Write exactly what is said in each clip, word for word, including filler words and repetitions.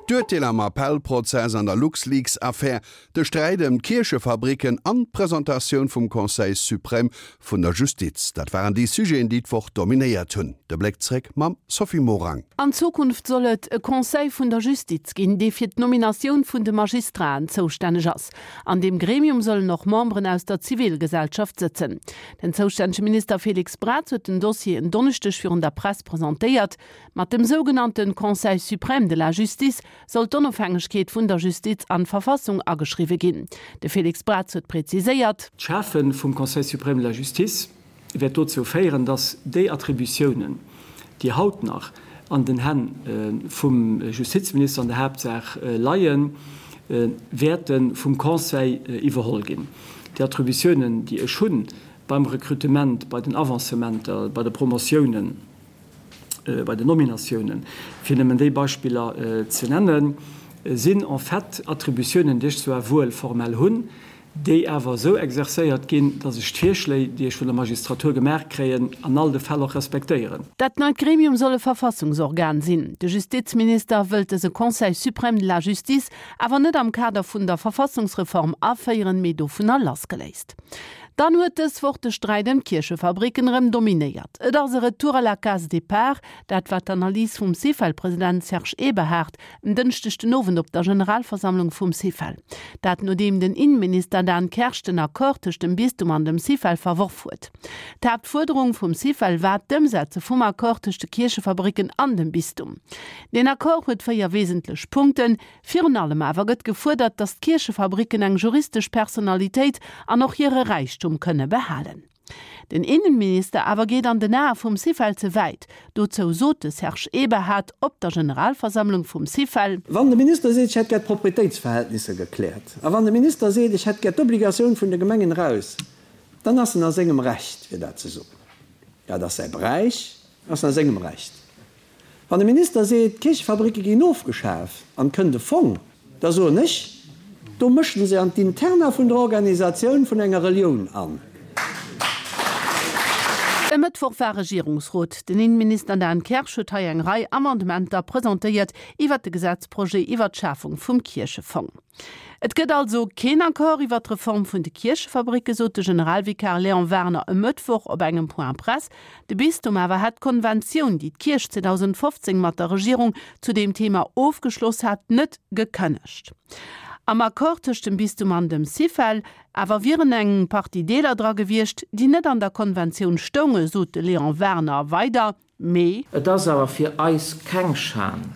D'Urteel am Appellprozess an der LuxLeaks-Affär, de Sträit ëm d'Kierchefabricken an d'Presentatioun vum Conseil suprême vun der Justiz, dat waren déi Sujeten, déi d'Woch dominéiert hunn. De Bléck zréck mam Sophie Morang. An Zukunft soll et e Conseil vun der Justiz ginn, dee fir d'Nominatioun vun de Magistraten zoustänneg ass. An deem Gremium sollen och Memberen aus der Zivilgesellschaft sëtzen. Den zoustännege Minister Félix Braz huet den Dossier en Donneschdeg virun der Press presentéiert. Mat dem sougenannte Conseil suprême de la justice soll d'Onofhängegkeet vun der Justiz an d'Verfassung ageschriwwe ginn. De Félix Braz huet präziséiert. D'Schafe vum Conseil suprême de la justice wäert dozou féieren, dass déi Attributiounen, déi haut nach an den Hänn vum Justizminister an der Haaptsaach leien, wäerte vum Conseil iwwerholl ginn. Déi Attributiounen, déi ech hunn beim Recrutement, bei den Avancementer, bei de Promotiounen, bei den Nominatiounen, fir nëmmen déi Beispiller ze nennen, sinn en fait Attributiounen, déi ech zwar wuel formell hunn, déi awer esou exercéiert ginn, datt ech d'Virschléi, déi ech vun der Magistratur gemaach kréien, an all de Fäll och respektéieren. Dat neit Gremium soll e Verfassungsorgan sinn. De Justizminister wëllt dëse Conseil suprême de la justice awer net am Kader vun der Verfassungsreform aféieren, mee dovunner lassgeléist. Dann huet dës Woch de Sträit ëm d'Kierchefabricken erëm dominéiert. Et ass e Retour à la case départ, dat war d'Analys vum Syfel-President Serge Eberhard en Dënschdeg den Owend op der Generalversammlung vum Syfel. Dat nodeem den Inneminister Dan Kersch den Accord tëscht dem Bistum an dem Syfel verworf huet. D'Haaptfuerderung vum Syfel war d'Ëmsetze vum Accord tëscht de Kierchefabricken an dem Bistum. Deen Accord huet véier wesentlech Punkten. Virun allem awer gëtt gefuerdert, datt d'Kierchefabricken eng juristesch Personalitéit an och hire Räichtum kënne behalen. Den Innenminister awer geet an den Ae vum Syfel ze wäit. Dozou sot de Serge Eberhard op der Generalversammlung vum Syfel. Wann de Minister seet, ech hätt gär d'Proprietéitsverhältnisser gekläert, a wann de Minister seet, ech hätt gär d'Obligatioun vun de Gemengen eraus, dann ass en a sengem Recht, fir dat ze soen. Dat ass säi Beräich, ass en a sengem Recht. Wann de Minister seet, d'Kierchefabricke ginn ofgeschaf an et kënnt e Fong, da soen ech, do mëschen se an d'Interna vun der Organisatioun vun enger Relioun an. E Mëttwoch war Regierungsrot. Den Innenminister Dan Kersch huet hei eng Rei Amendementer presentéiert iwwert de Gesetzprojet iwwert d'Schafung vum Kierchefong. Et gëtt also keen Accord iwwert d'Reform vun de Kierchefabricke, sot de Generalvikar Léon Werner e Mëttwoch op engem Point presse. De Bistum awer hätt d'Konventioun, déi d'Kierch zweedausendfofzéng mat der Regierung zu deem Thema ofgeschloss hat, net gekënnegt. Am Accord tëscht dem Bistum an dem Syfel awer wieren eng Partie Deeler dra gewiescht, déi net an der Konventioun stounge, sot de Léon Werner weider. Mee. Et ass awer fir eis keng Schan,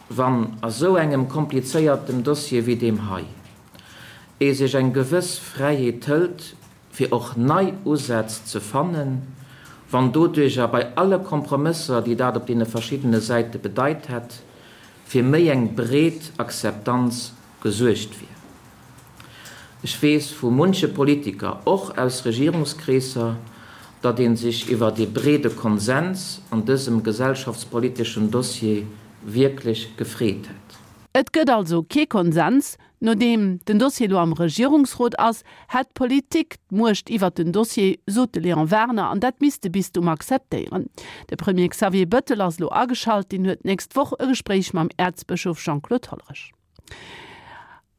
wann a sou engem komplizéiertem Dossier wéi deem hei, ee sech eng gewëss Fräiheet hëlt, fir och nei Usätz ze fannen, wann doduercher bei alle Kompromësser, déi dat op deene verschiddene Säite bedeit hätt, fir méi eng breet Akzeptanz gesuergt wier. Ech weess vu munche Politiker, och aus Regierungskreesser, datt ee sech iwwert ee breede Konsens an dësem gesellschaftspoliteschen Dossier wierklech gefreet hätt. Et gëtt also kee Konsens. Nodeem den Dossier elo am Regierungsrot ass, hätt d'Politik d'Muecht iwwert den Dossier, sot de Léon Werner, an dat misst de Bistum akzeptéieren. De Premier Xavier Bëttel ass elo ageschalt, deen huet d'nächst Woch e Gespréich mam Äerzbëschof Jean-Claude Hollerich.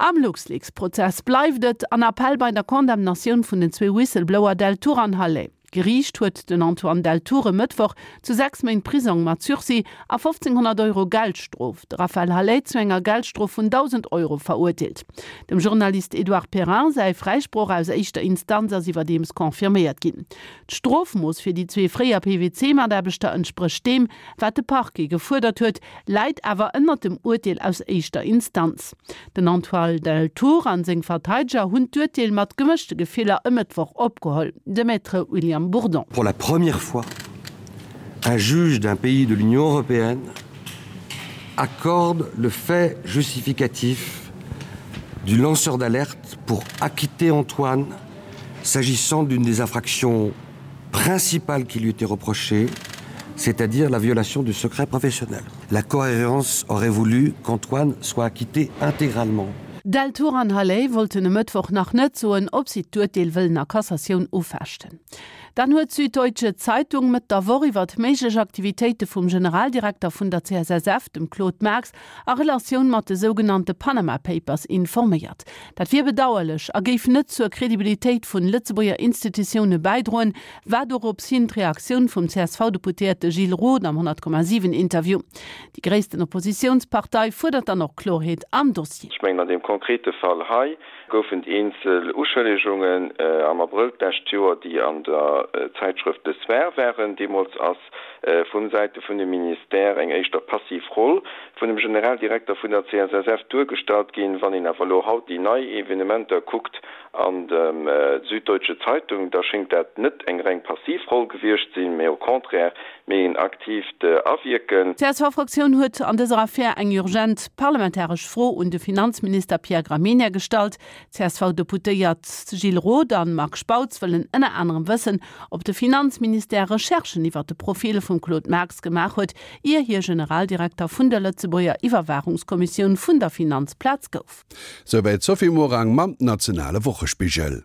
Am LuxLeaks-Prozess bleift et an Appell bei der Condamnatioun vun den zwee Whistleblower Deltour an Hallé. D'Geriicht huet den Antoine Deltour e Mëttwoch zu sechs Méint Prisong mat Sursis a fofzénghonnert Euro Geldstrof, de Raphaël Halet zu enger Geldstrof vun dausend Euro verurteelt. Dem Journalist Edouard Perrin säi Fräisproch aus éischter Instanz ass iwwerdeems confirméiert ginn. D'Strofmooss fir déi zwee fréier P W C-Mataarbechter entsprécht deem, wat de Parquet gefuerdert huet, läit awer ënnert dem Urteel aus éischter Instanz. Den Antoine Deltour an seng Verteideger hunn d'Urteel mat gemëschte Gefiller e Mëttwoch opgeholl. De Maître William Bourdon. Pour la première fois, un juge d'un pays de l'Union européenne accorde le fait justificatif du lanceur d'alerte pour acquitter Antoine s'agissant d'une des infractions principales qui lui était reprochée, c'est-à-dire la violation du secret professionnel. La cohérence aurait voulu qu'Antoine soit acquitté intégralement. Deltour an Halley wollten e Mëttwoch nach net soen, ob si d'Urteel wëllen a Cassatioun ufechten. Dann huet d'Süddeutsche Zeitung Mëtt der Woch iwwert méiglech Aktivitéite vum Generaldirekter vun der C S S F, dem Claude Marx, a Relatioun mat de sougenannte Panama Papers informéiert. Dat wier bedauerlech a géif net zur Kredibilitéit vun Lëtzebuerger Institutioune bäidroen, war dorops hin d'Reaktioun vum C S V-Deputéierte Gilles Roth am honnert Komma siwen Interview. Déi gréissten Oppositiounspartei fuerdert dann och Kloerheet am Dossier. Ech mengen, an deem konkrete Fall hei goufen eenzel Uschëllegungen am Abrëll d'lescht Joer, déi an der Zäitschrëft Le Soir waren. Deemools ass vu Säite vun dem Ministère eng éischter passiv Roll vun dem Generaldirekter vun der C S S F duergestallt ginn. Wann een awer elo haut déi nei Evenementer kuckt an der Süddeutsche Zeitung, da schéngt dat net eng reng passiv Roll gewiescht sinn, mee au contraire méi en aktiivt Awierken. D'C S V-Fraktioun huet an dëser Affär eng urgent parlamentaresch Fro un de Finanzminister Pierre Gramegna gestallt. C S V-Deputéiert Gilles Roth an Marc Spautz wëllen ënner anerem wëssen, ob de Finanzministère Recherchen iwwer de Profil vum Claude Marx gemaach huet, ier hie Generaldirekter vun der Lëtzebuerger Iwwerwaachungskommissioun vun der Finanzplaz gouf. Souwäit d'Sophie Morang mam nationale Wochespigel.